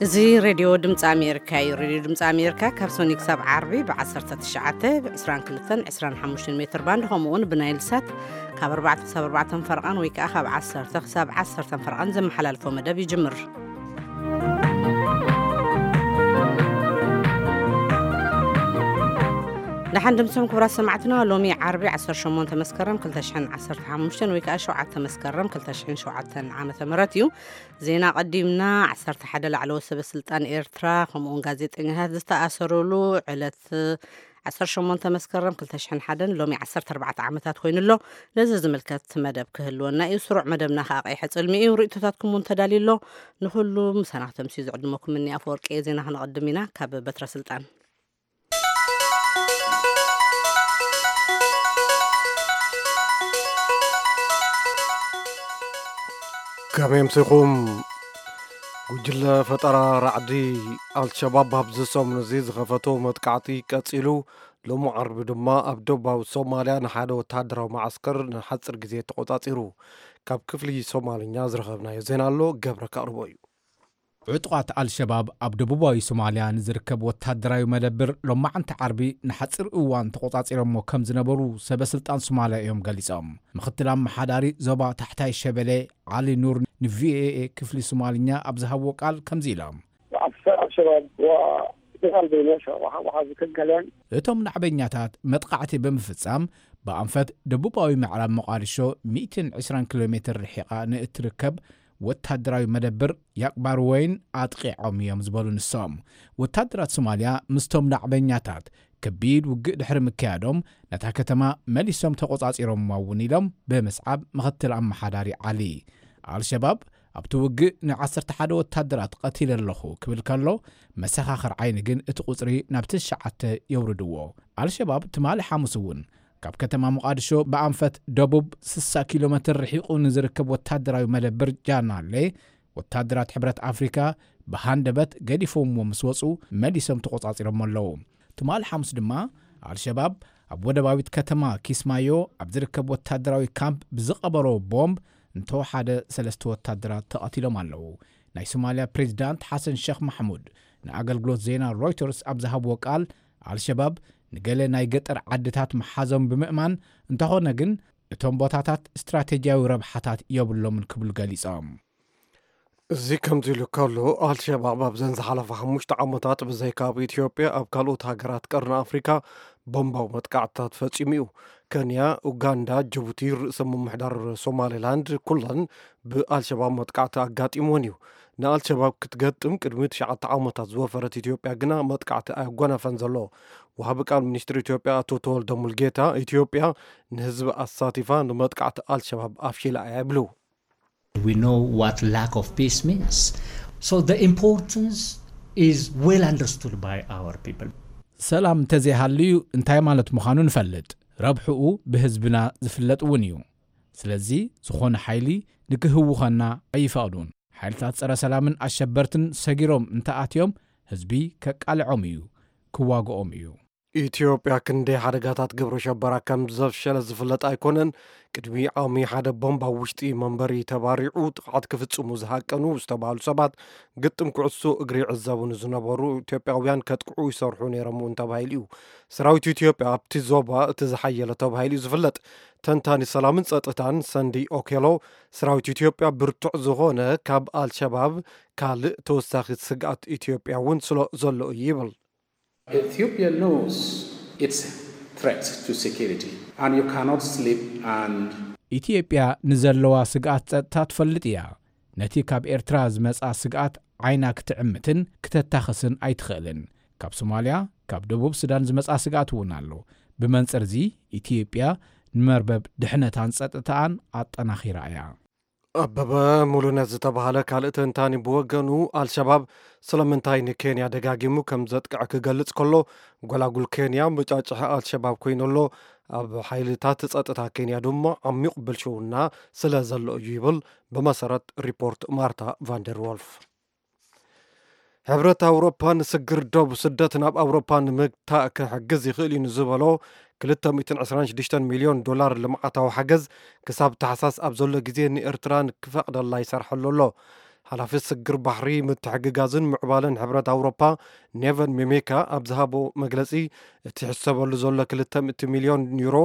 እዚ ሬድዮ ድምፂ ኣሜሪካ እዩ። ሬድዮ ድምፂ ኣሜሪካ ካብ ሶኒ ክሳብ ዓርቢ ብ19፣ ብ22፣ ብ25 ሜትር ባንድ፣ ከምኡ እውን ብናይል ሳት ካብ ኣርባዕተ ክሳብ ኣርባዕተ ፈርቓን ወይ ከዓ ካብ ዓሰርተ ክሳብ ዓሰርተ ፈርቓን ዘመሓላልፎ መደብ ይጅምር። ደሓን ድምፅም ክቡራት ሰማዕትና፣ ሎሚ ዓርቢ 18 መስከረም 2015 ወይ ከዓ 7 መስከረም 2007 ዓመተ ምህረት እዩ። ዜና ቀዲምና። 11 ላዕለዎት ሰበ ስልጣን ኤርትራ ከምኡውን ጋዜጠኛታት ዝተኣሰሩሉ ዕለት 18 መስከረም 2001 ሎሚ 14 ዓመታት ኮይኑ ኣሎ። ነዚ ዝምልከት መደብ ክህልወና እዩ። ስሩዕ መደብና ከዓ ቀይሐ ጽልሚ እዩ። ርእይቶታትኩም እውን ተዳልዩ ኣሎ። ንኩሉ ምሳና ክተምስዩ ዝዕድመኩም እኒ ኣፈወርቂ እየ። ዜና ክነቐድም ኢና። ካብ በትረ ስልጣን ከመይ ኣምሲኹም? ጉጅለ ፈጠራ ራዕዲ ኣልሸባብ ኣብዚ ሰሙን እዚ ዝኸፈቶ መጥቃዕቲ ቀጺሉ፣ ሎሚ ዓርቢ ድማ ኣብ ደቡባዊ ሶማልያ ንሓደ ወተሃደራዊ መዓስከር ንሓጺር ግዜ ተቖጻጺሩ። ካብ ክፍሊ ሶማልኛ ዝረኸብናዮ ዜና ኣሎ፣ ገብረ ከቕርቦ እዩ። ዕጡቓት ኣልሸባብ ኣብ ደቡባዊ ሶማልያ ንዝርከብ ወታደራዊ መደብር ሎማዓንቲ ዓርቢ ንሓጺር እዋን ተቖጻጺሮሞ ከም ዝነበሩ ሰበ ስልጣን ሶማልያ እዮም ገሊጾም። ምኽትል ኣመሓዳሪ ዞባ ታሕታይ ሸበሌ ዓሊ ኑር ንቪኦኤ ክፍሊ ሶማልኛ ኣብ ዝሃብዎ ቃል ከምዚ ኢሎም። عسكر الشباب وقتال بين الشباب وحاجة كالكلام. እቶም ናዕበኛታት መጥቃዕቲ ብምፍጻም ብኣንፈት ደቡባዊ ምዕራብ ሞቓዲሾ 120 ኪሎ ሜትር ርሒቓ ንእትርከብ ወታደራዊ መደብር ያቅባር ወይን ኣጥቂዖም እዮም ዝበሉ ንሶም፣ ወታደራት ሶማልያ ምስቶም ናዕበኛታት ከቢድ ውግእ ድሕሪ ምክያዶም ነታ ከተማ መሊሶም ተቖጻጺሮምዋ እውን ኢሎም ብምስዓብ ምኽትል ኣመሓዳሪ ዓሊ። ኣልሸባብ ኣብቲ ውግእ ን11 ወታደራት ቀቲለ ኣለኹ ክብል ከሎ፣ መሰኻኽር ዓይኒ ግን እቲ ቁጽሪ ናብ ትሽዓተ የውርድዎ። ኣልሸባብ ትማሊ ሓሙስ እውን ካብ ከተማ ሞቓድሾ ብኣንፈት ደቡብ 60 ኪሎ ሜትር ርሒቑ ንዝርከብ ወታደራዊ መደብር ጃናሌ ወታደራት ሕብረት ኣፍሪካ ብሃንደበት ገዲፎምዎ ምስ ወፁ መሊሶም ተቆፃፂሮም ኣለዉ። ትማሊ ሓሙስ ድማ ኣልሸባብ ኣብ ወደባዊት ከተማ ኪስማዮ ኣብ ዝርከብ ወታደራዊ ካምፕ ብዝቐበሮ ቦምብ እንተወሓደ ሰለስተ ወታደራት ተቐቲሎም ኣለዉ። ናይ ሶማልያ ፕሬዚዳንት ሓሰን ሸኽ ማሕሙድ ንኣገልግሎት ዜና ሮይተርስ ኣብ ዝሃብዎ ቃል ኣልሸባብ ንገለ ናይ ገጠር ዓድታት ምሓዞም ብምእማን እንተኾነ ግን እቶም ቦታታት ስትራቴጂያዊ ረብሓታት የብሎምን ክብሉ ገሊጾም። እዚ ከምዚ ኢሉ ከሎ ኣልሸባብ ኣብዘን ዝሓለፋ ሓሙሽተ ዓመታት ብዘይካ ኣብ ኢትዮጵያ ኣብ ካልኦት ሃገራት ቀርኒ ኣፍሪካ ቦምባዊ መጥቃዕትታት ፈጺሙ እዩ። ከንያ፣ ኡጋንዳ፣ ጅቡቲ፣ ርእሰ ምምሕዳር ሶማሌላንድ ኩለን ብኣልሸባብ መጥቃዕቲ ኣጋጢምወን እዩ። ንኣልሸባብ ክትገጥም ቅድሚ ትሽዓተ ዓመታት ዝወፈረት ኢትዮጵያ ግና መጥቃዕቲ ኣየጎነፈን ዘሎ። ወሃቢ ቃል ሚኒስትር ኢትዮጵያ ኣቶ ተወልደ ሙልጌታ ኢትዮጵያ ንህዝቢ ኣሳቲፋ ንመጥቃዕቲ ኣልሸባብ ኣፍሺላ እያ ይብሉ። We know what lack of peace means. So the importance is well understood by our people. ሰላም እንተዘይሃልዩ እንታይ ማለት ምዃኑ ንፈልጥ። ረብሕኡ ብህዝብና ዝፍለጥ እውን እዩ። ስለዚ ዝኾነ ሓይሊ ንክህውኸና ኣይፈቕዱን። ሓይልታት ጸረ ሰላምን ኣሸበርትን ሰጊሮም እንተኣትዮም ህዝቢ ከቃልዖም እዩ፣ ክዋግኦም እዩ። ኢትዮጵያ ክንደይ ሓደጋታት ግብረ ሸበራ ከም ዘፍሸለት ዝፍለጥ ኣይኮነን። ቅድሚ ዓሚ ሓደ ቦምብ ኣብ ውሽጢ መንበሪ ተባሪዑ ጥቕዓት ክፍጽሙ ዝሃቀኑ ዝተባህሉ ሰባት ግጥም ኩዕሶ እግሪ ይዕዘቡ ንዝነበሩ ኢትዮጵያውያን ከጥቅዑ ይሰርሑ ነይሮም እውን ተባሂሉ እዩ። ሰራዊት ኢትዮጵያ ኣብቲ ዞባ እቲ ዝሓየለ ተባሂሉ እዩ ዝፍለጥ። ተንታኒ ሰላምን ጸጥታን ሰንዲ ኦኬሎ ሰራዊት ኢትዮጵያ ብርቱዕ ዝኾነ ካብ ኣልሸባብ ካልእ ተወሳኺ ስግኣት ኢትዮጵያ እውን ስለ ዘሎ እዩ ይብል። Ethiopia knows its threat to security, and you cannot sleep and ኢትዮጵያ ንዘለዋ ስግኣት ጸጥታ ትፈልጥ እያ። ነቲ ካብ ኤርትራ ዝመጻ ስግኣት ዓይና ክትዕምትን ክተታኽስን ኣይትኽእልን። ካብ ሶማልያ፣ ካብ ደቡብ ሱዳን ዝመጻ ስግኣት እውን ኣሎ። ብመንጽር እዚ ኢትዮጵያ ንመርበብ ድሕነታን ጸጥታኣን ኣጠናኺራ እያ። ኣበበ ሙሉነት ዝተባህለ ካልእ ተንታኒ ብወገኑ ኣልሸባብ ስለምንታይ ንኬንያ ደጋጊሙ ከም ዘጥቅዐ ክገልጽ ከሎ፣ ጎላጉል ኬንያ መጫጭሒ ኣልሸባብ ኮይኑ ኣሎ። ኣብ ሓይልታት ጸጥታ ኬንያ ድማ ዓሚቕ ብልሽውና ስለ ዘሎ እዩ ይብል፣ ብመሰረት ሪፖርት ማርታ ቫንደር ዎልፍ። ሕብረት ኣውሮፓ ንስግር ዶብ ስደት ናብ ኣውሮፓ ንምግታእ ክሕግዝ ይኽእል እዩ ንዝበሎ 226 ሚልዮን ዶላር ልምዓታዊ ሓገዝ ክሳብ ታሕሳስ ኣብ ዘሎ ግዜ ንኤርትራ ክፈቕደላ ይሰርሐሉ ኣሎ። ሓላፊ ስግር ባሕሪ፣ ምትሕግጋዝን ምዕባለን ሕብረት ኣውሮፓ ኔቨን ሚሜካ ኣብ ዝሃቦ መግለጺ፣ እቲ ሕሰበሉ ዘሎ ክልተ ሚእቲ ሚልዮን ዩሮ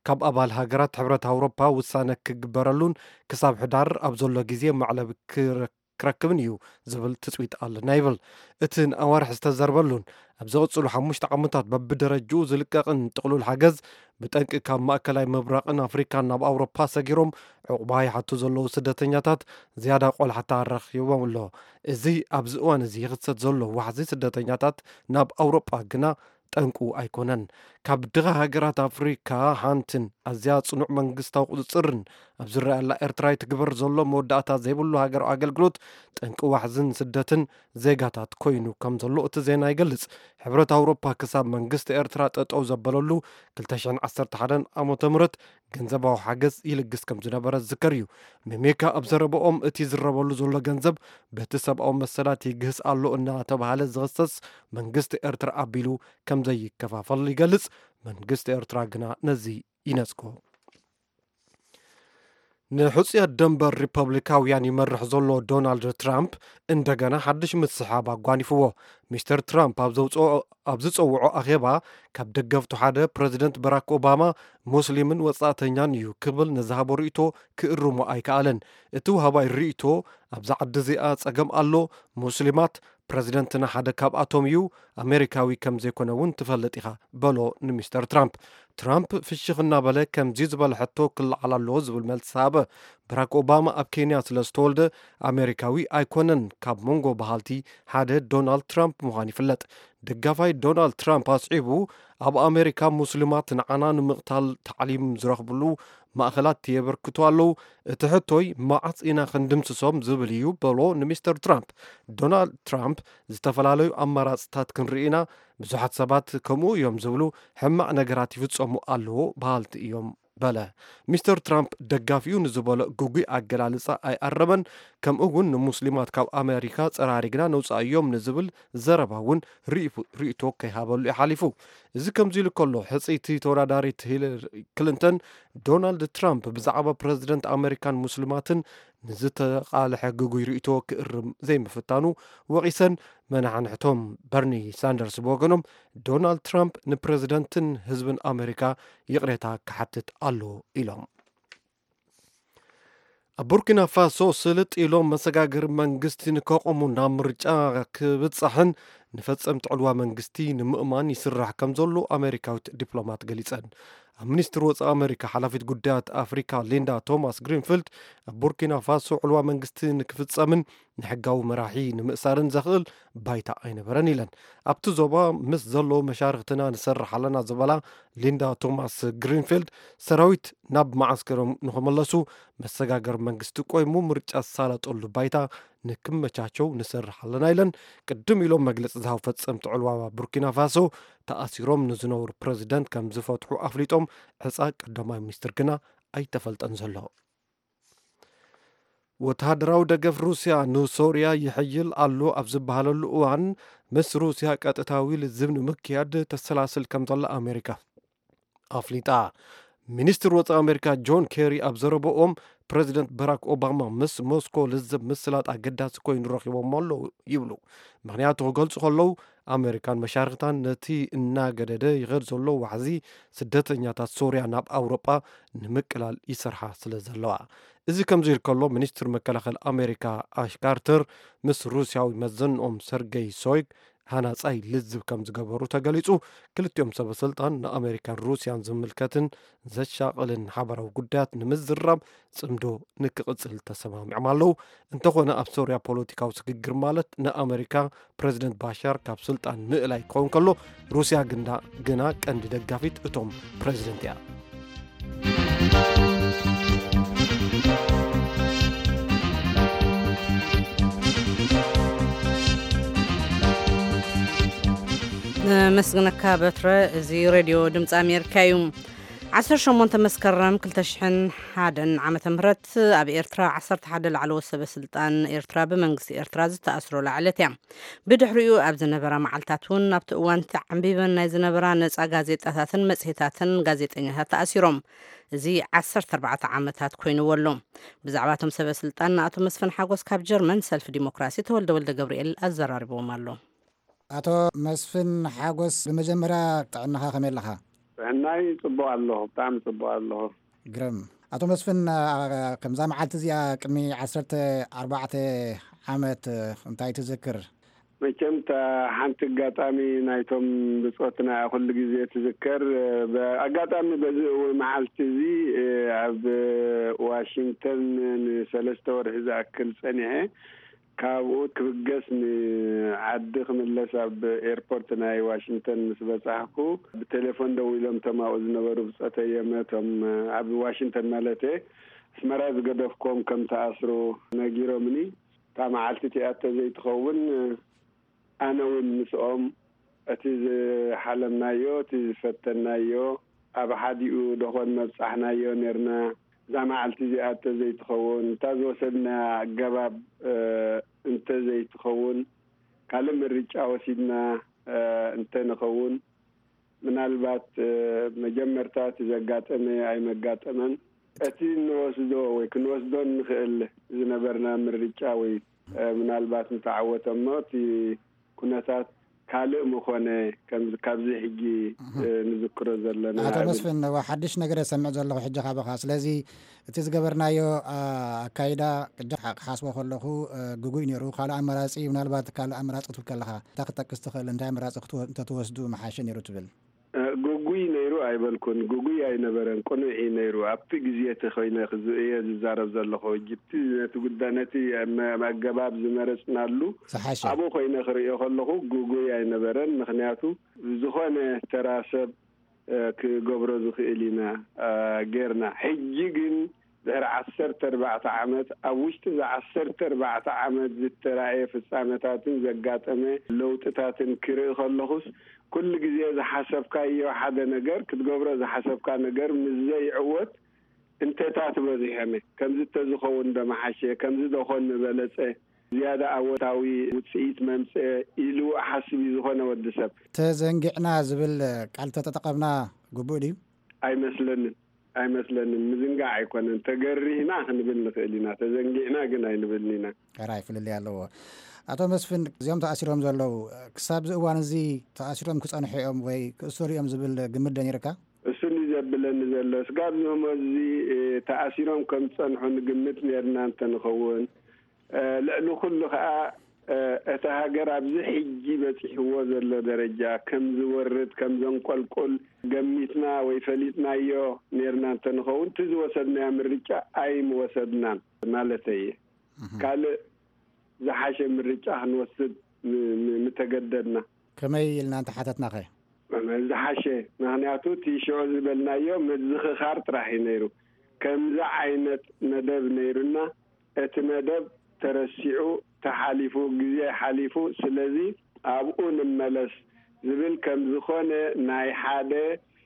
ካብ ኣባል ሃገራት ሕብረት ኣውሮፓ ውሳነ ክግበረሉን ክሳብ ሕዳር ኣብ ዘሎ ግዜ ማዕለብ ክረ- ክረክብን እዩ ዝብል ትጽቢት ኣለና ይብል። እቲ ንኣዋርሕ ዝተዘርበሉን ኣብ ዝቕጽሉ ሓሙሽተ ዓመታት በብደረጅኡ ዝልቀቕን ጥቕሉል ሓገዝ፣ ብጠንቂ ካብ ማእከላይ ምብራቕን ኣፍሪካን ናብ ኣውሮፓ ሰጊሮም ዕቑባ ይሓቱ ዘለዉ ስደተኛታት ዝያዳ ቆላሕታ ረኺቦም ኣሎ። እዚ ኣብዚ እዋን እዚ ይኽሰት ዘሎ ዋሕዚ ስደተኛታት ናብ ኣውሮጳ ግና ጠንቁ ኣይኮነን። ካብ ድኻ ሃገራት ኣፍሪካ ሓንትን ኣዝያ ጽኑዕ መንግስታዊ ቁጽጽርን ኣብ ዝረኣየላ ኤርትራ ይትግበር ዘሎ መወዳእታ ዘይብሉ ሃገራዊ ኣገልግሎት ጠንቂ ዋሕዝን ስደትን ዜጋታት ኮይኑ ከም ዘሎ እቲ ዜና ይገልጽ። ሕብረት ኣውሮፓ ክሳብ መንግስቲ ኤርትራ ጠጠው ዘበለሉ ክልተ ሽሕን ዓሰርተ ሓደን ዓመተ ምህረት ገንዘባዊ ሓገዝ ይልግስ ከም ዝነበረ ዝዝከር እዩ። ሚሜካ ኣብ ዘረበኦም፣ እቲ ዝረበሉ ዘሎ ገንዘብ በቲ ሰብኣዊ መሰላት ይግህስ ኣሎ እናተባሃለ ዝኽሰስ መንግስቲ ኤርትራ ኣቢሉ ከም ዘይከፋፈል ይገልጽ። መንግስቲ ኤርትራ ግና ነዚ ይነጽጎ። ንሕጹያት ደንበር ሪፐብሊካውያን ይመርሕ ዘሎ ዶናልድ ትራምፕ እንደገና ሓድሽ ምስሓብ ኣጓኒፍዎ። ሚስተር ትራምፕ ኣብ ዘውጽኦ- ኣብ ዝጸውዖ ኣኼባ፣ ካብ ደገፍቱ ሓደ ፕረዚደንት በራክ ኦባማ ሙስሊምን ወጻእተኛን እዩ ክብል ንዝሃቦ ርእይቶ ክእርሞ ኣይከኣለን። እቲ ውሃባይ ርእይቶ፣ ኣብዛ ዓዲ እዚኣ ጸገም ኣሎ፣ ሙስሊማት፣ ፕረዚደንትና ሓደ ካብኣቶም እዩ፣ ኣሜሪካዊ ከም ዘይኮነ እውን ትፈልጥ ኢኻ፣ በሎ ንሚስተር ትራምፕ። ትራምፕ ፍሽኽ እናበለ፣ ከምዚ ዝበለ ሕቶ ክለዓል ኣለዎ ዝብል መልሲ ሃበ። በራክ ኦባማ ኣብ ኬንያ ስለ ዝተወልደ ኣሜሪካዊ ኣይኮነን። ካብ መንጎ በሃልቲ ሓደ ዶናልድ ትራምፕ ምዃኑ ይፍለጥ። ደጋፋይ ዶናልድ ትራምፕ ኣስዒቡ፣ ኣብ ኣሜሪካ ሙስሊማት ንዓና ንምቕታል ታዕሊም ዝረኽብሉ ማእኸላት የበርክቱ ኣለዉ። እቲ ሕቶይ መዓስ ኢና ክንድምስሶም ዝብል እዩ፣ በሎ ንሚስተር ትራምፕ። ዶናልድ ትራምፕ፣ ዝተፈላለዩ ኣማራፅታት ክንርኢ ኢና፣ ብዙሓት ሰባት ከምኡ እዮም ዝብሉ፣ ሕማቕ ነገራት ይፍፀሙ ኣለዉ በሃልቲ እዮም፣ በለ። ሚስተር ትራምፕ ደጋፊኡ ንዝበሎ ግጉይ ኣገላልፃ ኣይኣረመን። ከምኡ እውን ንሙስሊማት ካብ ኣሜሪካ ፀራሪግና ነውፃእዮም ንዝብል ዘረባ እውን ርእይቶ ከይሃበሉ እዩ ሓሊፉ። እዚ ከምዚ ኢሉ ከሎ፣ ሕፅይቲ ተወዳዳሪት ሂለሪ ክሊንተን፣ ዶናልድ ትራምፕ ብዛዕባ ፕረዚደንት ኣሜሪካን ሙስሊማትን ንዝተቓልሐ ግጉይ ርእይቶ ክእርም ዘይምፍታኑ ወቒሰን፣ መናሕንሕቶም በርኒ ሳንደርስ ብወገኖም፣ ዶናልድ ትራምፕ ንፕረዚደንትን ህዝብን ኣሜሪካ ይቕሬታ ክሓትት ኣለዎ ኢሎም። ኣብ ቡርኪና ፋሶ ስልጥ ኢሎም መሰጋገሪ መንግስቲ ንከቆሙ ናብ ምርጫ ክብጻሕን ንፈጸምቲ ዕልዋ መንግስቲ ንምእማን ይስራሕ ከም ዘሎ ኣሜሪካዊት ዲፕሎማት ገሊጸን። ኣብ ሚኒስትሪ ወጻኢ ኣሜሪካ ሓላፊት ጉዳያት ኣፍሪካ ሊንዳ ቶማስ ግሪንፊልድ፣ ኣብ ቡርኪና ፋሶ ዕልዋ መንግስቲ ንክፍጸምን ንሕጋዊ መራሒ ንምእሳርን ዘኽእል ባይታ ኣይነበረን ኢለን። ኣብቲ ዞባ ምስ ዘለዉ መሻርኽትና ንሰርሕ ኣለና ዝበላ ሊንዳ ቶማስ ግሪንፊልድ፣ ሰራዊት ናብ መዓስከሮም ንኽመለሱ መሰጋገሪ መንግስቲ ቆይሙ ምርጫ ዝሳለጠሉ ባይታ ንክመቻቸው ንሰርሕ ኣለና ኢለን። ቅድም ኢሎም መግለፂ ዝሃቡ ፈፀምቲ ዕልዋ ቡርኪና ፋሶ፣ ተኣሲሮም ንዝነበሩ ፕረዚደንት ከም ዝፈትሑ ኣፍሊጦም። ዕፃ ቀዳማይ ሚኒስትር ግና ኣይተፈልጠን ዘሎ። ወተሃደራዊ ደገፍ ሩስያ ንሶርያ ይሕይል ኣሎ ኣብ ዝበሃለሉ እዋን፣ ምስ ሩስያ ቀጥታዊ ልዝብ ንምክያድ ተሰላስል ከም ዘላ ኣሜሪካ ኣፍሊጣ። ሚኒስትር ወጻኢ ኣሜሪካ ጆን ኬሪ ኣብ ዘረበኦም፣ ፕረዚደንት በራክ ኦባማ ምስ ሞስኮ ልዝብ ምስላጥ ኣገዳሲ ኮይኑ ረኺቦሞ ኣለዉ ይብሉ። ምኽንያቱ ክገልጹ ከለዉ፣ ኣሜሪካን መሻርኽታን ነቲ እናገደደ ይኸድ ዘሎ ዋሕዚ ስደተኛታት ሶርያ ናብ ኣውሮጳ ንምቅላል ይሰርሓ ስለ ዘለዋ። እዚ ከምዚ ኢሉ ከሎ፣ ሚኒስትር መከላኸሊ ኣሜሪካ ኣሽ ካርተር ምስ ሩስያዊ መዘንኦም ሰርገይ ሶይግ ሃናጻይ ልዝብ ከም ዝገበሩ ተገሊጹ። ክልቲኦም ሰበ ስልጣን ንኣሜሪካን ሩስያን ዝምልከትን ዘሻቕልን ሓበራዊ ጉዳያት ንምዝራብ ጽምዶ ንክቕጽል ተሰማሚዖም ኣለዉ። እንተኾነ፣ ኣብ ሶርያ ፖለቲካዊ ስግግር ማለት ንኣሜሪካ ፕረዚደንት ባሻር ካብ ስልጣን ምእላይ ክኸውን ከሎ፣ ሩስያ ግንዳ ግና ቀንዲ ደጋፊት እቶም ፕረዚደንት እያ። ነመስግነካ በትረ። እዚ ሬድዮ ድምፂ ኣሜሪካ እዩ። ዓሰርተ ሸሞንተ መስከረም ክልተ ሽሕን ሓደን ዓመተ ምህረት ኣብ ኤርትራ ዓሰርተ ሓደ ላዕለዎት ሰበ ስልጣን ኤርትራ ብመንግስቲ ኤርትራ ዝተኣስሩላ ዕለት እያ። ብድሕሪኡ ኣብ ዝነበራ መዓልታት እውን ኣብቲ እዋን ተዓንቢበን ናይ ዝነበራ ነጻ ጋዜጣታትን መጽሔታትን ጋዜጠኛታት ተኣሲሮም። እዚ ዓሰርተ ኣርባዕተ ዓመታት ኮይንዎ ኣሎ። ብዛዕባ እቶም ሰበ ስልጣን ንኣቶ መስፍን ሓጎስ ካብ ጀርመን ሰልፊ ዲሞክራሲ ተወልደ ወልደ ገብርኤል ኣዘራሪብዎም ኣሎ። ኣቶ መስፍን ሓጎስ፣ ብመጀመርያ ጥዕናኻ ከመይ ኣለኻ? ጥዕናይ ጽቡቕ ኣለኹ፣ ብጣዕሚ ጽቡቕ ኣለኹ። ግርም። ኣቶ መስፍን፣ ኣ፣ ከምዛ መዓልቲ እዚኣ ቅድሚ ዓሰርተ ኣርባዕተ ዓመት እንታይ ትዝክር? መቸም እታ ሓንቲ ኣጋጣሚ ናይቶም ብጾትና ኩሉ ግዜ ትዝከር። ብኣጋጣሚ በዚ እውን መዓልቲ እዚ ኣብ ዋሽንግተን ንሰለስተ ወርሒ ዝኣክል ጸኒሐ። ካብኡ ክብገስ ንዓዲ ክምለስ ኣብ ኤርፖርት ናይ ዋሽንግተን ምስ በጻሕኩ፣ ብቴሌፎን ደዊሎም እቶም ኣብኡ ዝነበሩ ብጾተይ እዮም፣ እቶም ኣብ ዋሽንግተን ማለተ፣ ኣስመራ ዝገደፍኮም ከም ተኣስሩ ነጊሮምኒ። እታ መዓልቲ እቲኣ ተዘይትኸውን፣ ኣነ እውን ምስኦም እቲ ዝሓለምናዮ፣ እቲ ዝፈተናዮ፣ ኣብ ሓዲኡ ደኾን መብጻሕናዮ ኔርና። እዛ መዓልቲ እዚኣ እንተዘይትኸውን፣ እታ ዝወሰድናያ ኣገባብ፣ እ፣ እንተዘይትኸውን፣ ካልእ ምርጫ ወሲድና፣ እ፣ እንተንኸውን፣ ምናልባት፣ እ፣ መጀመርታ እቲ ዘጋጠመ ኣይመጋጠመን። እቲ እንወስዶ ወይ ክንወስዶ እንኽእል ዝነበርና ምርጫ ወይ፣ እ፣ ምናልባት እንተዓወተ እሞ እቲ ኩነታት ካልእ ምኾነ፣ ከምዚ፣ ካብዚ ሕጂ፣ እህ። እ፣ ንዝክሮ ዘለና ኣቶ እብል። መስፍን፣ እዋ፣ ሓድሽ ነገር እየ ሰምዕ ዘለኹ ሕጂ ካባኻ። ስለዚ እቲ ዝገበርናዮ፣ ኣ፣ ኣካይዳ ቅድም ክሓስቦ ከለኹ፣ እ፣ ግጉይ ነይሩ። ካልእ ኣማራጺ፣ ምናልባት ካልእ ኣማራጺ ክትብል ከለኻ እንታይ ክትጠቅስ ትኽእል? እንታይ ኣማራጺ ክትወ-፣ እንተትወስዱ ምሓሸ ነይሩ ትብል? እ፣ ግጉይ ነይሩ ኣይበልኩን። ግጉይ ኣይነበረን፣ ቅኑዕ እዩ ነይሩ። ኣብቲ ግዜ እቲ ኮይነ ክዝ-፣ እየ ዝዛረብ ዘለኹ። ሕጂ እቲ ነቲ ጉዳይ፣ ነቲ መ-፣ ኣገባብ ዝመረጽናሉ ዝሓሸ። ኣብኡ ኮይነ ክርእዮ ከለኹ ግጉይ ኣይነበረን። ምኽንያቱ ዝኾነ ተራ ሰብ፣ እ፣ ክገብሮ ዝኽእል ኢና፣ እ፣ ጌርና። ሕጂ ግን ድሕሪ ዓሰርተ ኣርባዕተ ዓመት፣ ኣብ ውሽጢ እዚ ዓሰርተ ኣርባዕተ ዓመት ዝተራእየ ፍጻመታትን ዘጋጠመ ለውጥታትን ክርኢ ከለኹስ፣ ኩሉ ግዜ ዝሓሰብካዮ ሓደ ነገር፣ ክትገብሮ ዝሓሰብካ ነገር ምስ ዘይዕወት፣ እንተታት በዚሖም፣ ከምዚ ተዝኸውን ዶ ምሓሸ፣ ከምዚ ዶ ኮን ምበለጸ፣ ዝያዳ ኣወንታዊ ውጽኢት መምጽአ ኢሉ ሓስብ እዩ ዝኾነ ወዲ ሰብ። ተዘንጊዕና ዝብል ቃል ተተጠቐምና ግቡእ ድዩ? ኣይመስለንን፣ ኣይመስለንን። ምዝንጋዕ ኣይኮነን። ተገሪህና ክንብል ንኽእል ኢና፣ ተዘንጊዕና ግን ኣይንብልን ኢና። ሕራይ ፍልልይ ኣለዎ። ኣቶ መስፍን፣ እዚኦም ተኣሲሮም ዘለዉ፣ ክሳብ እዚ እዋን እዚ ተኣሲሮም ክጸንሑ እዮም ወይ ክእሰሩ እዮም ዝብል ግምት ዶ ነይርካ? እሱ እንዲ ዘብለኒ ዘሎ፣ ስጋብ ንእሞ እዚ፣ እ፣ ተኣሲሮም ከም ዝጸንሑ ንግምት ነርና እንተ ንኸውን፣ እ፣ ልዕሊ ኩሉ ኸኣ፣ እ፣ እታ ሃገር ኣብዚ ሕጂ በጺሕዎ ዘሎ ደረጃ ከም ዝወርድ፣ ከም ዘንቆልቁል ገሚትና ወይ ፈሊጥናዮ ነርና እንተ ንኸውን፣ እቲ ዝወሰድናዮ ምርጫ ኣይምወሰድናን ማለተይ እየ። እህ። ካልእ ዝሓሸ ምርጫ ክንወስድ ን-፣ ን-፣ ምተገደድና። ከመይ ኢልና እንተሓተትናኸ? ዝሓሸ፣ ምኽንያቱ እቲ ሽዑ ዝበልናዮ ምዝኽኻር ጥራሕ እዩ ነይሩ። ከምዚ ዓይነት መደብ ነይሩና፣ እቲ መደብ ተረሲዑ፣ ተሓሊፉ፣ ግዜ ሓሊፉ። ስለዚ ኣብኡ ንመለስ ዝብል ከም ዝኾነ ናይ ሓደ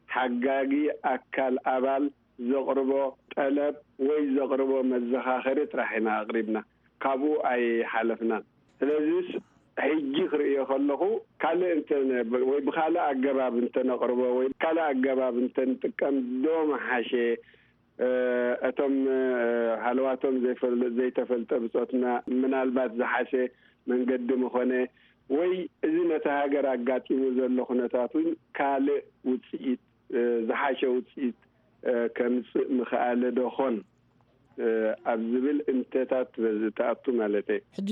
ሓጋጊ ኣካል ኣባል ዘቕርቦ ጠለብ ወይ ዘቕርቦ መዘኻኸሪ ጥራሕ ኢና ኣቕሪብና። ካብኡ ኣይሓለፍናን። ስለዚስ ሕጂ ክርእዮ ከለኹ፣ ካልእ እንተ ነ-፣ ወይ ብኻልእ ኣገባብ እንተ ነቕርቦ ወይ ካልእ ኣገባብ እንተ ንጥቀም ዶ ምሓሸ? እ፣ እቶም፣ እ፣ ሃለዋቶም ዘይፈል-፣ ዘይተፈልጠ ብጾትና ምናልባት ዝሓሸ መንገዲ ምኾነ፣ ወይ እዚ ነቲ ሃገር ኣጋጢሙ ዘሎ ኩነታት እውን ካልእ ውጽኢት፣ እ፣ ዝሓሸ ውጽኢት፣ እ፣ ከምጽእ ምኽኣለ ዶ ኾን፣ እ፣ ኣብ ዝብል እንተታት በዚ ትኣቱ ማለተይ። ሕጂ፣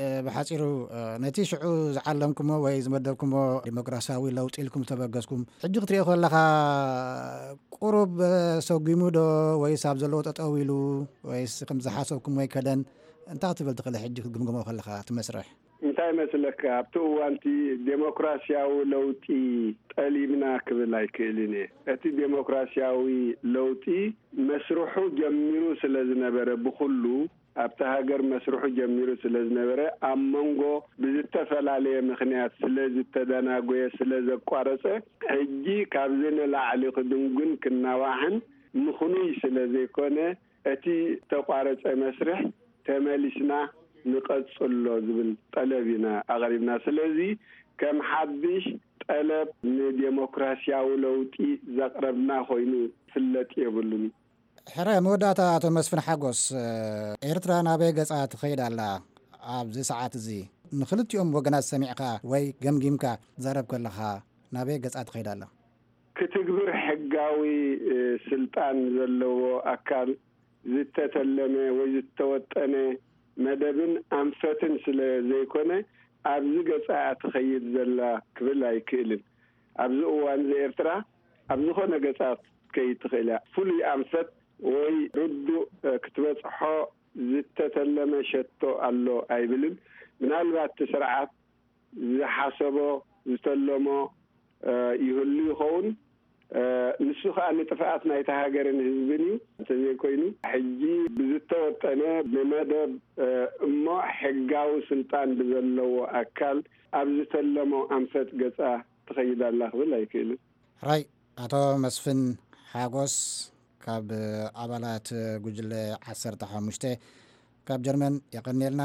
እ፣ ብሓጺሩ፣ እ፣ ነቲ ሽዑ ዝዓለምኩሞ ወይ ዝመደብኩሞ ዲሞክራሲያዊ ለውጢ ኢልኩም ዝተበገስኩም፣ ሕጂ ክትሪኦ ከለኻ ቁሩብ፣ እ፣ ሰጒሙ ዶ ወይስ ኣብ ዘለዎ ጠጠው ኢሉ ወይስ ከም ዝሓሰብኩም ወይ ከደን? እንታይ ክትብል ትኽእል ሕጂ ክትግምግሞ ከለኻ እቲ መስርሕ? እንታይ መስለካ፣ ኣብቲ እዋንቲ ዴሞክራሲያዊ ለውጢ ጠሊብና ክብል ኣይክእልን እየ። እቲ ዴሞክራሲያዊ ለውጢ መስርሑ ጀሚሩ ስለ ዝነበረ ብኹሉ ኣብቲ ሃገር መስርሑ ጀሚሩ ስለ ዝነበረ፣ ኣብ መንጎ ብዝተፈላለየ ምኽንያት ስለ ዝተደናጎየ፣ ስለ ዘቋረጸ፣ ሕጂ ካብዚ ንላዕሊ ክድንጉን ክናዋሕን ምኽኑይ ስለ ዘይኮነ፣ እቲ ዝተቋረጸ መስርሕ ተመሊስና ንቐጽሎ ዝብል ጠለብ ኢና ኣቕሪብና። ስለዚ ከም ሓድሽ ጠለብ ንዴሞክራሲያዊ ለውጢ ዘቕረብና ኮይኑ ክፍለጥ የብሉን። ሕረ መወዳእታ፣ ኣቶ መስፍን ሓጎስ፣ ኤርትራ ናበይ ገጻ ትኸይድ ኣላ? ኣብዚ ሰዓት እዚ ንኽልቲኦም ወገናት ሰሚዕካ ወይ ገምጊምካ ትዛረብ ከለኻ ናበይ ገጻ ትኸይድ ኣላ? ክትግብር ሕጋዊ፣ እ፣ ስልጣን ዘለዎ ኣካል ዝተተለመ ወይ ዝተወጠነ መደብን ኣንፈትን ስለ ዘይኮነ፣ ኣብዚ ገጻ ትኸይድ ዘላ ክብል ኣይክእልን። ኣብዚ እዋን እዚ ኤርትራ ኣብ ዝኾነ ገጻ ክትከይድ ትኽእል እያ። ፍሉይ ኣንፈት ወይ ርዱእ፣ እ፣ ክትበጽሖ ዝተተለመ ሸቶ ኣሎ ኣይብልን። ምናልባት እቲ ስርዓት ዝሓሰቦ፣ ዝተለሞ፣ እ፣ ይህሉ ይኸውን። እ፣ ንሱ ኸኣ ንጥፍኣት ናይታ ሃገርን ህዝብን እዩ። እንተዘይኮይኑ፣ ሕጂ ብዝተወጠነ ብመደብ፣ እ፣ እሞ ሕጋዊ ስልጣን ብዘለዎ ኣካል ኣብ ዝተለሞ ኣንፈት ገጻ ትኸይድ ኣላ ክብል ኣይክእልን። ሕራይ፣ ኣቶ መስፍን ሓጎስ ካብ ኣባላት ጉጅለ ዓሰርተ ሓሙሽተ ካብ ጀርመን፣ የቐንየልና።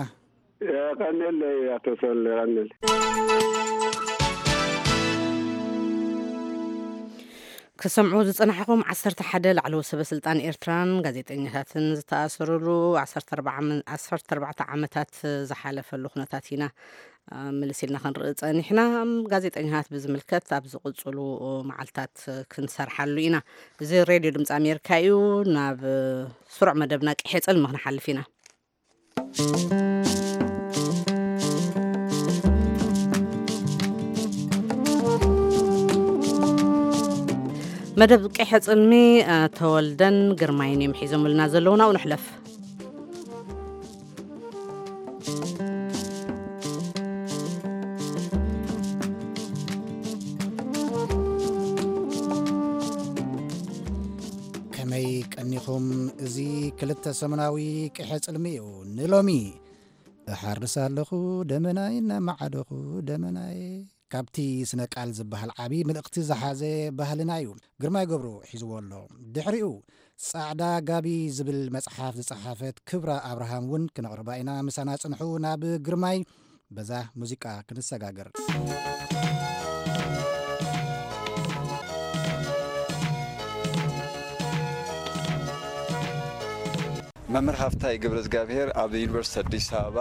የቐንየለይ ኣቶ ሰል፣ የቐንየለይ። ክሰምዑ ዝጸናሕኹም ዓሰርተ ሓደ ላዕለዎት ሰበ ስልጣን ኤርትራን ጋዜጠኛታትን ዝተኣሰሩሉ ዓሰርተ ኣርባዕተ ዓመ-፣ ዓሰርተ ኣርባዕተ ዓመታት ዝሓለፈሉ ኩነታት ኢና፣ አ፣ ምልስ ኢልና ክንርኢ ጸኒሕና። ጋዜጠኛታት ብዝምልከት ኣብ ዝቕጽሉ መዓልታት ክንሰርሓሉ ኢና። እዚ ሬድዮ ድምፂ ኣሜሪካ እዩ። ናብ ስሩዕ መደብና ቅሔ ጽልሚ ክንሓልፍ ኢና። መደብ ቅሔ ጽልሚ፣ አ፣ ተወልደን ግርማይን እዮም ሒዞምልና ዘለዉ። ናብኡ ንሕለፍ። ከመይ ቀኒኹም? እዚ ክልተ ሰሙናዊ ቅሔ ጽልሚ እዩ። ንሎሚ እሓርስ ኣለኹ ደመናይ፣ እናመዓደኹ ደመናይ፣ ካብቲ ስነ ቃል ዝበሃል ዓቢ ምልእኽቲ ዝሓዘ ባህልና እዩ። ግርማይ ገብሩ ሒዝዎ ኣሎ። ድሕሪኡ ጻዕዳ ጋቢ ዝብል መጽሓፍ ዝጸሓፈት ክብራ ኣብርሃም እውን ክነቕርባ ኢና። ምሳና ጽንሑ። ናብ ግርማይ በዛ ሙዚቃ ክንሰጋገር። መምህር ሃፍታይ ገብረ እግዚኣብሔር ኣብ ዩኒቨርሲቲ ኣዲስ ኣበባ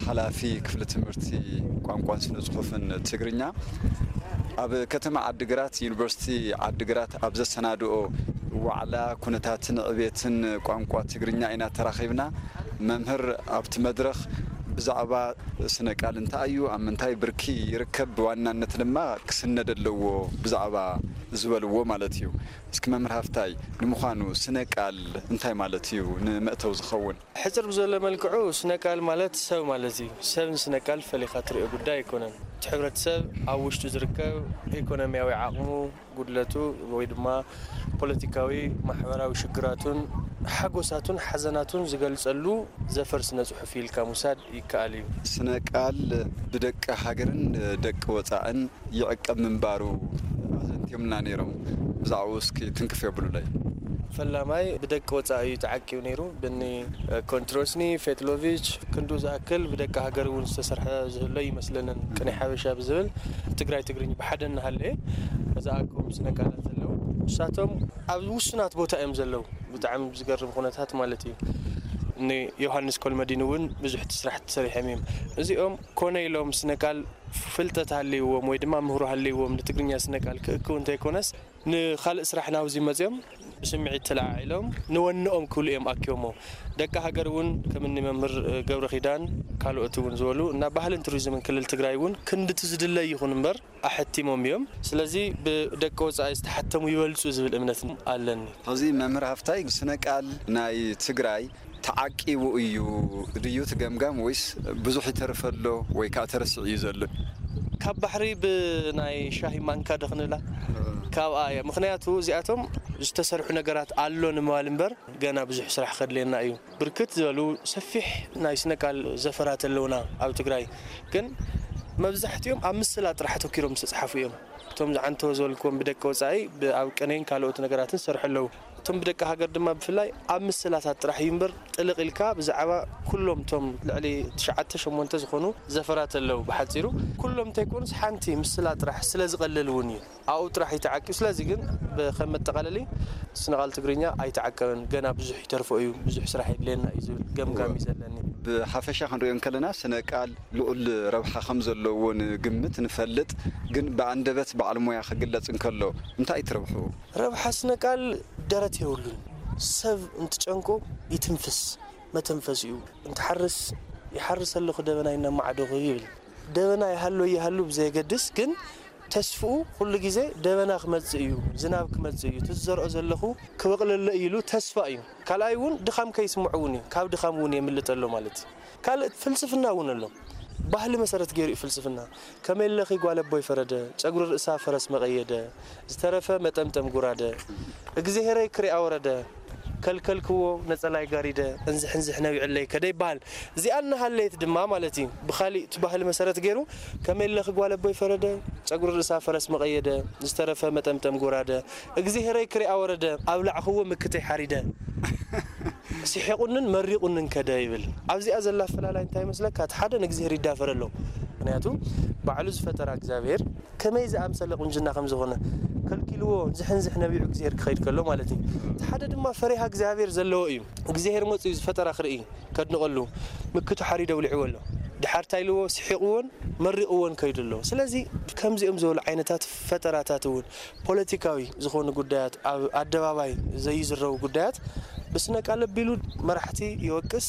ሓላፊ ክፍሊ ትምህርቲ ቋንቋን ስነ ጽሑፍን ትግርኛ፣ ኣብ ከተማ ዓዲግራት ዩኒቨርሲቲ ዓዲግራት ኣብ ዘሰናድኦ ዋዕላ ኩነታትን ዕቤትን ቋንቋ ትግርኛ ኢና ተራኺብና። መምህር ኣብቲ መድረኽ ብዛዕባ ስነ ቃል እንታይ እዩ፣ ኣብ ምንታይ ብርኪ ይርከብ፣ ብዋናነት ድማ ክስነድ ኣለዎ ብዛዕባ ዝበልዎ ማለት እዩ። እስኪ መምህር ሃፍታይ፣ ንምዃኑ ስነ ቃል እንታይ ማለት እዩ ንመእተዊ ዝኸውን? ሕጽር ብዘሎ መልክዑ ስነ ቃል ማለት ሰብ ማለት እዩ። ሰብ ንስነ ቃል ፈሊኻ ትሪኦ ጉዳይ ኣይኮነን። እቲ ሕብረተሰብ ኣብ ውሽጡ ዝርከብ ኢኮኖሚያዊ ዓቕሙ፣ ጉድለቱ ወይ ድማ ፖለቲካዊ፣ ማሕበራዊ ሽግራቱን ሓጎሳቱን ሓዘናቱን ዝገልጸሉ ዘፈር ስነ ጽሑፍ ኢልካ ምውሳድ ይከኣል እዩ። ስነ ቃል ብደቂ ሃገርን ደቂ ወጻእን ይዕቀብ ምንባሩ ኣዘንትዮምና ነይሮም። ብዛዕባኡ እስኪ ትንክፍ የብሉለይ። ፈላማይ ብደቂ ወጻኢ እዩ ተዓቂቡ ነይሩ። ብኒ ኮንትሮስኒ፣ ፌትሎቪች፣ ክንዱ ዝኣክል ብደቂ ሃገር እውን ዝተሰርሐ ዝህሎ ይመስለንን። ቅኔ ሓበሻ ብዝብል ትግራይ ትግርኝ ብሓደ እናሃለየ ዝኣከቦም ስነ ቃላት ዘለዉ። ንሳቶም ኣብ ውሱናት ቦታ እዮም ዘለዉ። ብጣዕሚ ዝገርም ኩነታት ማለት እዩ። ንዮሃንስ ኮልመዲን እውን ብዙሕ ስራሕ ተሰሪሖም እዮም። እዚኦም ኮነ ኢሎም ስነ ቃል ፍልጠት ሃልይዎም ወይ ድማ ምህሮ ሃልይዎም ንትግርኛ ስነ ቃል ክእክቡ እንተይኮነስ፣ ንኻልእ ስራሕ ናብዚ መፅዮም ብስምዒት ተለዓዒሎም ንወንኦም ክብሉ እዮም ኣኪቦሞ። ደቂ ሃገር እውን ከም እኒ መምህር ገብረ ኪዳን ካልኦት እውን ዝበሉ እና ባህልን ቱሪዝምን ክልል ትግራይ እውን ክንድቲ ዝድለይ ይኹን እምበር ኣሐቲሞም እዮም። ስለዚ ብደቂ ወፃኢ ዝተሓተሙ ይበልፁ ዝብል እምነት ኣለኒ። ሕዚ መምህር ሃፍታይ፣ ስነ ቃል ናይ ትግራይ ተዓቂቡ እዩ ድዩ እቲ ገምጋም፣ ወይስ ብዙሕ ይተርፍ ኣሎ ወይ ከዓ ተረሲዑ እዩ ዘሎ? ካብ ባሕሪ ብናይ ሻሂ ማንካ ዶ ክንብላ? ካብኣ እያ። ምኽንያቱ እዚኣቶም ዝተሰርሑ ነገራት ኣሎ ንምባል እምበር፣ ገና ብዙሕ ስራሕ ከድልየና እዩ። ብርክት ዝበሉ ሰፊሕ ናይ ስነ ቃል ዘፈራት ኣለውና ኣብ ትግራይ። ግን መብዛሕትኦም ኣብ ምስላ ጥራሕ ኣተኪሮም ዝተፅሓፉ እዮም። እቶም ዝዓንተው ዝበልክዎም ብደቂ ወፃኢ፣ ብ-፣ ኣብ ቅኔን ካልኦት ነገራትን ዝሰርሑ ኣለዉ። እቶም ብደቂ ሃገር ድማ ብፍላይ ኣብ ምስላታት ጥራሕ እዩ እምበር፣ ጥልቕ ኢልካ ብዛዕባ ኩሎም እቶም ልዕሊ ትሽዓተ ሸሞንተ ዝኾኑ ዘፈራት ኣለዉ። ብሓፂሩ ኩሎም እንተይኮኑስ ሓንቲ ምስላ ጥራሕ ስለ ዝቐልል እውን እዩ ኣብኡ ጥራሕ እዩ ተዓቂቡ። ስለዚ ግን ብ-፣ ከም መጠቓለሊ ስነ ቃል ትግርኛ ኣይተዓቀበን፣ ገና ብዙሕ ይተርፎ እዩ፣ ብዙሕ ስራሕ የድልየና እዩ ዝብል ገምጋም እዩ ዘለኒ። ብሓፈሻ ክንሪኦ እንከለና ስነ ቃል ልዑል ረብሓ ከም ዘለዎ ንግምት፣ ንፈልጥ። ግን ብኣንደበት በዓል ሞያ ክግለጽ እንከሎ እንታይ ትረብሑ? ረብሓ ስነ ቃል ደረት የብሉን። ሰብ እንትጨንቆ ይትንፍስ፣ መተንፈሲኡ። እንትሓርስ፣ "ይሓርስ ኣለኹ ደበናይ እናማዕደኹ" ይብል። ደበና ይሃሉ ይሃሉ ብዘየገድስ ግን ተስፍኡ ኩሉ ግዜ ደበና ክመጽእ እዩ፣ ዝናብ ክመጽእ እዩ፣ እቲ ዝዘርኦ ዘለኹ ክበቕለሎ እዩ ኢሉ ተስፋ እዩ። ካልኣይ እውን ድኻም ከይስምዖ እውን እዩ፣ ካብ ድኻም እውን የምልጥ ኣሎ ማለት እዩ። ካልእ ፍልስፍና እውን ኣሎ። ባህሊ መሰረት ገይሩ እዩ ፍልስፍና። "ከመይ ኣለኺ ጓል ኣቦይ ፈረደ፣ ጨጉሪ ርእሳ ፈረስ መቐየደ፣ ዝተረፈ መጠምጠም ጉራደ፣ እግዚኣብሄረይ ክሪኣ ወረደ፣ ከልከልክዎ ነጸላይ ጋሪደ፣ እንዝሕ እንዝሕ ነቢዕለይ ከደ" ይበሃል። እዚኣ እናሃለየት ድማ ማለት እዩ፣ ብኻሊእ እቲ ባህሊ መሰረት ገይሩ "ከመይ ኣለኺ ጓል ኣቦይ ፈረደ፣ ጨጉሪ ርእሳ ፈረስ መቐየደ፣ ዝተረፈ መጠምጠም ጎራደ፣ እግዚኣብሄረይ ክሪኣ ወረደ፣ ኣብላዕኽዎ ምክተይ ሓሪደ፣ ስሒቑንን መሪቑንን ከደ" ይብል። ኣብዚኣ ዘላ ኣፈላላይ እንታይ ይመስለካ? እቲ ሓደ ንእግዚኣብሄር ይዳፈር ኣሎ። ምኽንያቱ ባዕሉ ዝፈጠራ እግዚኣብሄር ከመይ ዝኣምሰለ ቁንጅና ከም ዝኾነ ከልኪልዎ፣ ዝሕንዝሕ ነቢዑ እግዚኣብሄር ክኸይድ ከሎ ማለት እዩ። እቲ ሓደ ድማ ፈሪሃ እግዚኣብሄር ዘለዎ እዩ። እግዚኣብሄር መፂኡ ዝፈጠራ ክርኢ፣ ከድንቐሉ፣ ምክቱ ሓሪደ ውሊዕዎ ኣሎ። ድሓር እንታይ ኢልዎ? ስሒቕዎን መሪቕዎን ከይዱ ኣሎ። ስለዚ ከምዚኦም ዝበሉ ዓይነታት ፈጠራታት እውን ፖለቲካዊ ዝኾኑ ጉዳያት፣ ኣብ ኣደባባይ ዘይዝረቡ ጉዳያት ብስነ ቃል ኣቢሉ መራሕቲ ይወቅስ፣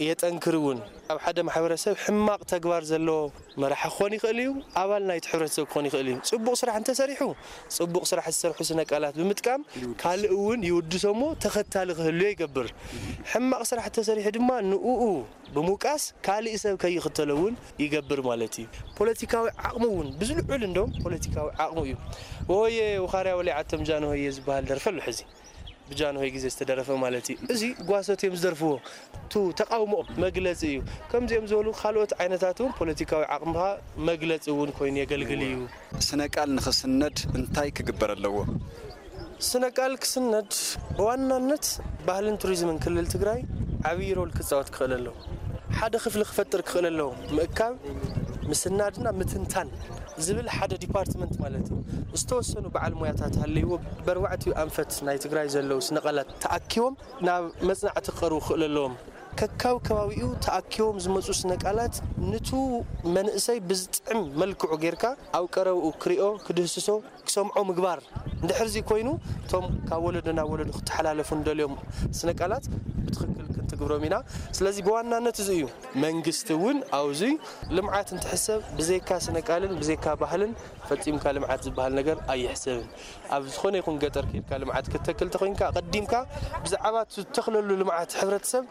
የጠንክር እውን። ኣብ ሓደ ማሕበረሰብ ሕማቕ ተግባር ዘለዎ መራሒ ክኾን ይኽእል እዩ፣ ኣባል ናይቲ ሕብረተሰብ ክኾን ይኽእል እዩ። ጽቡቕ ስራሕ እንተሰሪሑ፣ ጽቡቕ ስራሕ ዝሰርሑ ስነ ቃላት ብምጥቃም ይውድስ። ካልእ እውን ይውድሶ እሞ ተኸታሊ ክህልዮ ይገብር። ሕማቕ ስራሕ እንተሰሪሑ ድማ ንኡኡ ብምውቃስ ካልእ ሰብ ከይኽተሎ እውን ይገብር ማለት እዩ። ፖለቲካዊ ዓቕሙ እውን ብዝልዑል እንደውም ፖለቲካዊ ዓቕሙ እዩ። "ወየ ውኻርያ ወሊዓቶም ጃንሆየ" ዝበሃል ደርፊ ኣሎ ሕዚ። ብጃንሆይ ግዜ ዝተደረፈ ማለት እዩ። እዚ ጓሶት እዮም ዝደርፍዎ። ቱ ተቃውሞኦም መግለጺ እዩ። ከምዚኦም ዝበሉ ካልኦት ዓይነታት እውን ፖለቲካዊ ዓቕምኻ መግለጺ እውን ኮይኑ የገልግል እዩ። ስነ ቃል ንኽስነድ እንታይ ክግበር ኣለዎ? ስነ ቃል ክስነድ ብዋናነት ባህልን ቱሪዝምን ክልል ትግራይ ዓብዪ ሮል ክፃወት ክኽእል ኣለዎ። ሓደ ክፍሊ ክፈጥር ክኽእል ኣለዎ። ምእካብ፣ ምስናድና ምትንታን ዝብል ሓደ ዲፓርትመንት ማለት እዩ። ዝተወሰኑ በዓል ሞያታት ሃለይዎ ብኣርባዕቲኡ ኣንፈት ናይ ትግራይ ዘለዉ ስነ ቃላት ተኣኪቦም ናብ መጽናዕቲ ክቐርቡ ክኽእሉ ኣለዎም። ከካብ ከባቢኡ ተኣኪቦም ዝመጹ ስነ ቃላት ንቱ መንእሰይ ብዝጥዕም መልክዑ ጌርካ ኣብ ቀረብኡ ክሪኦ፣ ክድህስሶ፣ ክሰምዖ ምግባር። እንድሕር እዚ ኮይኑ እቶም ካብ ወለዶ ናብ ወለዶ ክተሓላለፉ እንደልዮም ስነ ቃላት ብትኽክል ክንትግብሮም ኢና። ስለዚ ብዋናነት እዚ እዩ። መንግስቲ እውን ኣብዚ ልምዓት እንትሕሰብ ብዘይካ ስነ ቃልን ብዘይካ ባህልን ፈጺምካ ልምዓት ዝበሃል ነገር ኣይሕሰብን። ኣብ ዝኾነ ይኹን ገጠር ከይድካ ልምዓት ክትተክል ተኾይንካ፣ ኣቐዲምካ ብዛዕባ እትተኽለሉ ልምዓት ሕብረተሰብ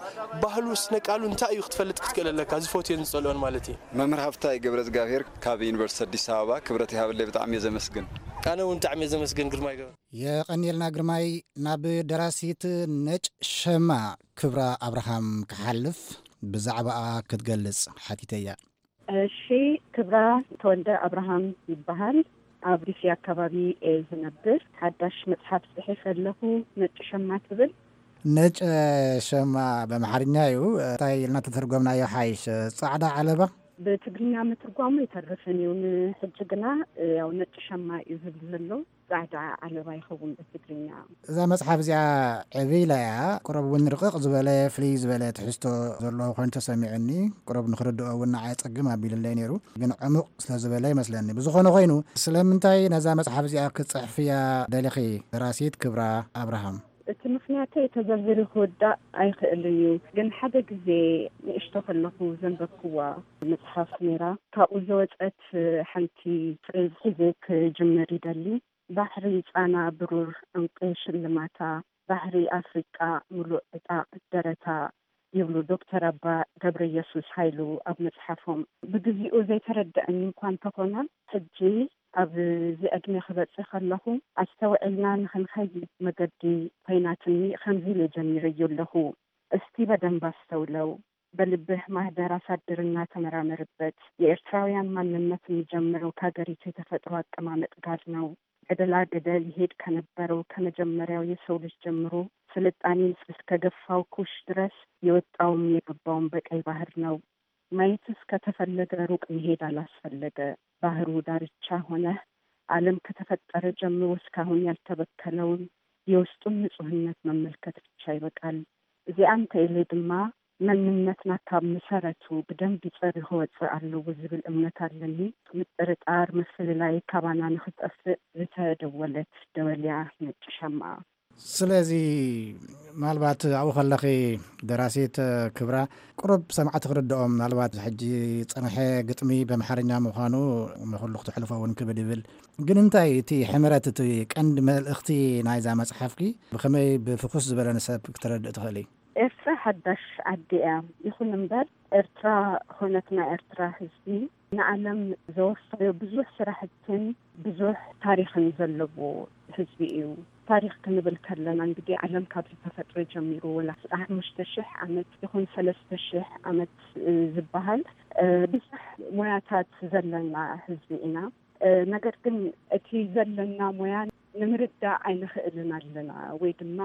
ባህሉ፣ ስነ ቃሉ እንታይ እዩ ክትፈልጥ ክትክእል ኣለካ፣ ዝፈትዮን ዝጸልኦን ማለት እዩ። መምህር ሃፍታይ ገብረ እግዚኣብሔር ካብ ዩኒቨርሲቲ ኣዲስ ኣበባ፣ ክብረት ይሃበለይ፣ ብጣዕሚ እየ ዘመስግን። ኣነ እውን ብጣዕሚ እየ ዘመስግን ግርማይ ገብረ። የቐንየልና ግርማይ። ናብ ደራሲት ነጭ ሸማ ክብራ ኣብርሃም ክሓልፍ፣ ብዛዕባኣ ክትገልጽ ሓቲተያ። እሺ፣ ክብራ ተወልደ ኣብርሃም ይበሃል። ኣብ ዲሲ ኣካባቢ እየ ዝነብር። ሓዳሽ መጽሓፍ ጽሒፈ ኣለኹ፣ ነጭ ሸማ ትብል። ነጭ ሸማ በምሓርኛ እዩ። እንታይ ኢልና ተተርጎምናዮ ሓይሽ? ጻዕዳ ዓለባ? ብትግርኛ ምትርጓሙ ይተርፍን እዩ። ንሕጂ ግና ያው ነጭ ሸማ እዩ ዝብል ዘሎ። ጻዕዳ ዓለባ ይኸውን ብትግርኛ። እዛ መጽሓፍ እዚኣ ዕብይ ኢላ እያ። ቁሩብ እውን ርቕቕ ዝበለ፣ ፍልይ ዝበለ ትሕዝቶ ዘለዎ ኮይኑ ተሰሚዑኒ። ቁሩብ ንኽርድኦ እውን ንዓይ ጸግም ኣቢሉለይ ነይሩ። ግን ዕሙቕ ስለ ዝበለ ይመስለኒ። ብዝኾነ ኮይኑ፣ ስለምንታይ ነዛ መጽሓፍ እዚኣ ክትጽሕፍያ ደሊኺ፣ ደራሲት ክብራ ኣብርሃም? እቲ ምኽንያተይ ተዘርዚሩ ክውዳእ ኣይኽእልን እዩ። ግን ሓደ ግዜ ንእሽቶ ከለኹ ዘንበብክዋ መጽሓፍ ነይራ። ካብኡ ዝወጸት ሓንቲ ፍሬዝ ሒዘ ክጅምር ይደሊ። ባሕሪ ጻና ብሩር ዕንቂ ሽልማታ፣ ባሕሪ ኣፍሪቃ ምሉእ ዕጣቕ ደረታ፣ ይብሉ ዶክተር ኣባ ገብረ ኢየሱስ ሃይሉ ኣብ መጽሓፎም። ብግዚኡ ዘይተረድኣኒ እንኳ እንተኾነ፣ ሕጂ ኣብዚ ዕድመ ክበጽሕ ከለኹ ኣስተውዒልና ንኽንኸይድ መገዲ ኮይናትኒ። ከምዚ ኢለ ጀሚረዮ ኣለኹ። እስቲ በደንብ ኣስተውለው። በልብህ ማህደር ኣሳድርና ተመራመርበት። የኤርትራውያን ማንነት የሚጀምረው ከሀገሪቱ የተፈጥሮ አቀማመጥ ጋር ነው። ገደላ ገደል ይሄድ ከነበረው ከመጀመሪያው የሰው ልጅ ጀምሮ ስልጣኔን እስከ ገፋው ኩሽ ድረስ የወጣውም የገባውም በቀይ ባህር ነው። ማየትስ ከተፈለገ ሩቅ መሄድ አላስፈለገ። ባህሩ ዳርቻ ሆነህ ዓለም ከተፈጠረ ጀምሮ እስካሁን ያልተበከለውን የውስጡን ንጹህነት መመልከት ብቻ ይበቃል። እዚኣ እንተኢለ ድማ መንነትና ካብ መሰረቱ ብደንቢ ጸሪ ክወጽእ ኣለዎ ዝብል እምነት ኣለኒ። ምጥርጣር፣ ምፍልላይ ካባና ንኽጠፍእ ዝተደወለት ደወልያ ነጭ ሻምዓ። ስለዚ ምናልባት ኣብኡ ከለኺ ደራሲት ክብራ ቁሩብ ሰማዕቲ ክርድኦም ምናልባት ሕጂ ጸንሐ ግጥሚ በምሓርኛ ምዃኑ ንኹሉ ክትሕልፎ እውን ክብድ ይብል። ግን እንታይ እቲ ሕምረት እቲ ቀንዲ መልእኽቲ ናይዛ መጽሓፍኪ ብኸመይ ብፍኹስ ዝበለ ንሰብ ክተረድእ ትኽእሊ? ኤርትራ ሓዳሽ ዓዲ እያ። ይኹን እምበር ኤርትራ ኾነት ናይ ኤርትራ ህዝቢ ንዓለም ዘወፈዮ ብዙሕ ስራሕትን ብዙሕ ታሪኽን ዘለዎ ህዝቢ እዩ። ታሪኽ ክንብል ከለና እንግዲህ ዓለም ካብ ዝተፈጥረ ጀሚሩ ወላ ሓሙሽተ ሽሕ ዓመት ይኹን ሰለስተ ሽሕ ዓመት ዝበሃል ብዙሕ ሞያታት ዘለና ህዝቢ ኢና። ነገር ግን እቲ ዘለና ሞያ ንምርዳእ ኣይንኽእልን ኣለና ወይ ድማ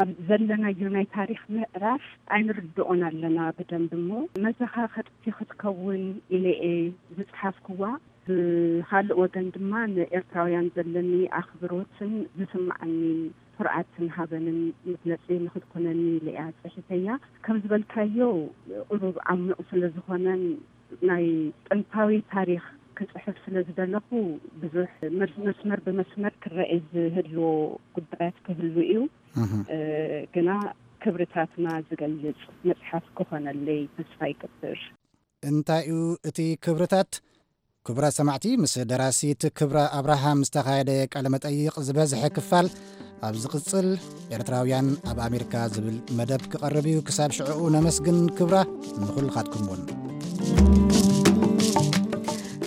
ኣብ ዘለናዮ ናይ ታሪኽ ምዕራፍ ኣይንርድኦን ኣለና ብደንብ እሞ መዘኻኸርቲ ክትከውን ኢለ እየ ዝፅሓፍክዋ። ብኻልእ ወገን ድማ ንኤርትራውያን ዘለኒ ኣኽብሮትን ዝስምዓኒ ኩርዓትን ሃበንን መግለፂ ንክትኮነኒ ኢለ እያ ፅሒተያ። ከም ዝበልካዮ ቁሩብ ዓሚቑ ስለ ዝኾነን ናይ ጥንታዊ ታሪኽ ክፅሕፍ ስለ ዝደለኹ ብዙሕ መስመር ብመስመር ክረአ ዝህልዎ ጉዳያት ክህሉ እዩ። ግና ክብርታትና ዝገልጽ መጽሓፍ ክኾነለይ ተስፋ ይገብር። እንታይ እዩ እቲ ክብርታት? ክቡራት ሰማዕቲ፣ ምስ ደራሲት ክብራ ኣብርሃም ዝተኻየደ ቃለ መጠይቕ ዝበዝሐ ክፋል ኣብ ዝቕጽል ኤርትራውያን ኣብ ኣሜሪካ ዝብል መደብ ክቐርብ እዩ። ክሳብ ሽዕኡ ነመስግን ክብራ፣ ንኹልኻትኩም እውን።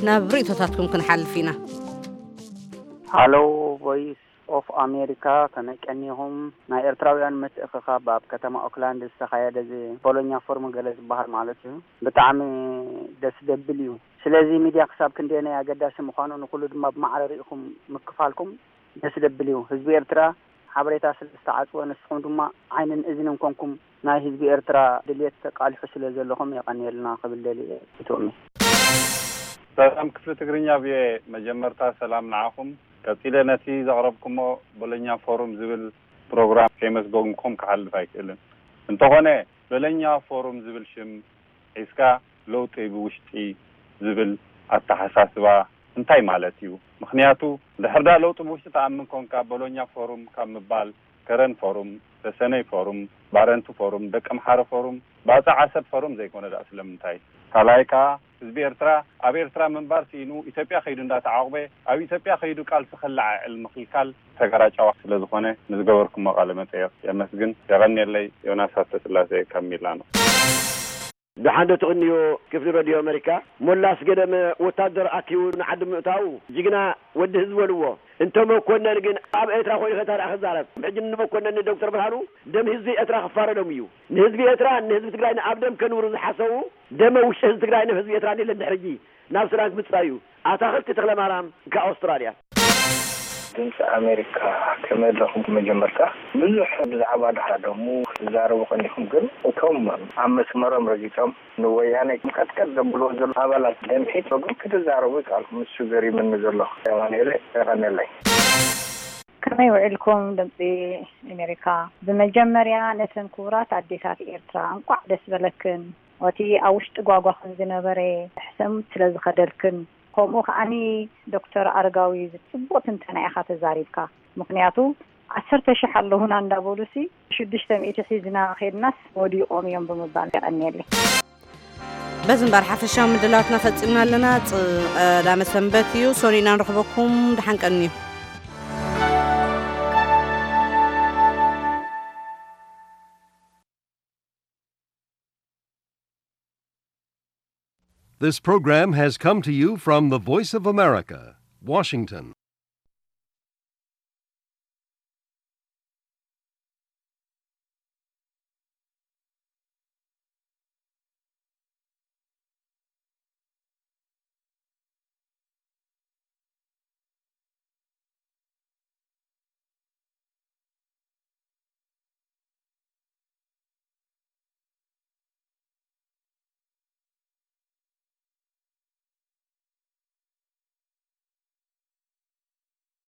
ናብ ርእይቶታትኩም ክንሓልፍ ኢና። ሃሎ ቮይስ ኦፍ ኣሜሪካ፣ ከመይ ቀኒኹም? ናይ ኤርትራውያን ምትእኽኻብ ኣብ ከተማ ኦክላንድ ዝተኻየደ እዚ ቦሎኛ ፎርም ገለ ዝበሃል ማለት እዩ። ብጣዕሚ ደስ ደብል እዩ። ስለዚ ሚድያ ክሳብ ክንደየናይ ኣገዳሲ ምዃኑ ንኹሉ ድማ ብማዕረ ርኢኹም ምክፋልኩም ደስ ደብል እዩ። ህዝቢ ኤርትራ ሓበሬታ ስለ ዝተዓጽወ፣ ንስኹም ድማ ዓይንን እዝንን ኮንኩም ናይ ህዝቢ ኤርትራ ድልየት ተቃልሑ ስለ ዘለኹም የቐንየልና ክብል ደልየ። ይትወሚ። ሰላም ክፍሊ ትግርኛ ቪኦኤ፣ መጀመርታ ሰላም ንዓኹም። ቀጺለ ነቲ ዘቕረብኩሞ በለኛ ፎሩም ዝብል ፕሮግራም ከየመስገንኩም ክሓልፍ ኣይክእልን። እንተኾነ በለኛ ፎሩም ዝብል ሽም ሒዝካ ለውጢ ብውሽጢ ዝብል ኣተሓሳስባ እንታይ ማለት እዩ? ምኽንያቱ ድሕር ዳ ለውጢ ብውሽጢ ትኣምን ኮንካ በሎኛ ፎሩም ካብ ምባል ከረን ፎሩም፣ ሰሰነይ ፎሩም፣ ባረንቱ ፎሩም፣ ደቂ ኣምሓረ ፎሩም፣ ባጽዕ ዓሰብ ፎሩም ዘይኮነ ደኣ ስለምንታይ? ካልኣይ ከኣ ህዝቢ ኤርትራ ኣብ ኤርትራ ምንባር ስኢኑ ኢትዮጵያ ከይዱ እንዳተዓቑበ ኣብ ኢትዮጵያ ከይዱ ቃልሲ ከለዓዕል ምኽልካል ተጋራጫዋ ስለ ዝኾነ ንዝገበርኩሞ ቃለ መጠየቕ የመስግን። የቐንየለይ። ዮናስ ሃብተስላሴ ካብ ሚላኖ። ደሓን ዶ ትቕንዮ ክፍሊ ረድዮ ኣመሪካ? ሞላ ኣስገደመ ወታደር ኣኪቡ ንዓዲ ምእታዉ ጅግና ወዲ ህዝቢ በልዎ። እንተ መኮነን ግን ኣብ ኤርትራ ኮይኑ ከ እንታይ ደኣ ክዛረብ? ሕጂ ንመኮነን ንዶክተር ብርሃኑ ደም ህዝቢ ኤርትራ ክፋረዶም እዩ። ንህዝቢ ኤርትራ ንህዝቢ ትግራይ ንኣብ ደም ከንብሩ ዝሓሰቡ ደመ ውሽጢ ህዝቢ ትግራይ ንህዝቢ ኤርትራ የለን ድሕሪ ሕጂ። ናብ ሱዳን ክምጽእ እዩ። ኣታኽልቲ ተኽለማርያም ካብ ኣውስትራልያ። ድምፂ ኣሜሪካ ከመይ ኣለኹም? መጀመርታ ብዙሕ ብዛዕባ ድሃደሙ ክትዛረቡ ቀኒኹም፣ ግን እቶም ኣብ መስመሮም ረጊጾም ንወያነ ቀጥቀጥ ዘብልዎ ዘለዉ ኣባላት ደምሒት ግን ክትዛረቡ ይከኣልኩም። እሱ ገሪምኒ ዘሎ። የማኑኤለ የቐነለይ። ከመይ ውዒልኩም ድምፂ ኣሜሪካ? ብመጀመርያ ነተን ክቡራት ኣዴታት ኤርትራ እንቋዕ ደስ በለክን። እቲ ኣብ ውሽጢ ጓጓኽን ዝነበረ ሕሰም ስለ ዝኸደልክን፣ ከምኡ ከኣኒ ዶክተር ኣረጋዊ ጽቡቕ ትንተና ኢኻ ተዛሪብካ። ምኽንያቱ ዓሰርተ ሽሕ ኣለዉና እንዳበሉሲ ሽዱሽተ ሚእቲ ሒዝና ኼድናስ ወዲቖም እዮም ብምባል። የቐንየለይ። በዚ እምበር ሓፈሻዊ ምድላዋትና ፈጺምና ኣለና። ጽ-፣ ቀዳመ ሰንበት እዩ። ሶኒና ንረኽበኩም። ደሓን ቀንዩ። This program has come to you from the Voice of America, Washington.